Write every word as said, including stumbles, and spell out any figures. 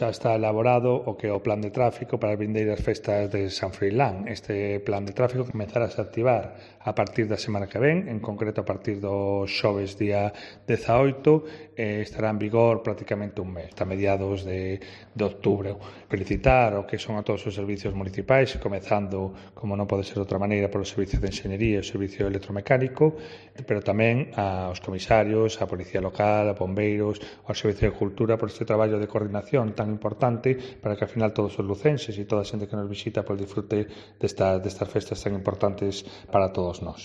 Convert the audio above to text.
Xa está elaborado o que é o plan de tráfico para as vindeiras festas de San Froilán. Este plan de tráfico comezarase a activar a partir da semana que ven, en concreto a partir do xoves día dezaoito, e estará en vigor prácticamente un mes, a mediados de, de outubro. Felicitar o que son a todos os servicios municipais, comezando, como non pode ser de outra maneira, polo servicio de enxeñería e o servicio electromecánico, pero tamén aos comisarios, a Policía Local, a bombeiros, ao Servicio de Cultura por este traballo de coordinación tan importante para que, ao final, todos os lucenses e toda a xente que nos visita pois disfrute destas, destas festas tan importantes para todos nós.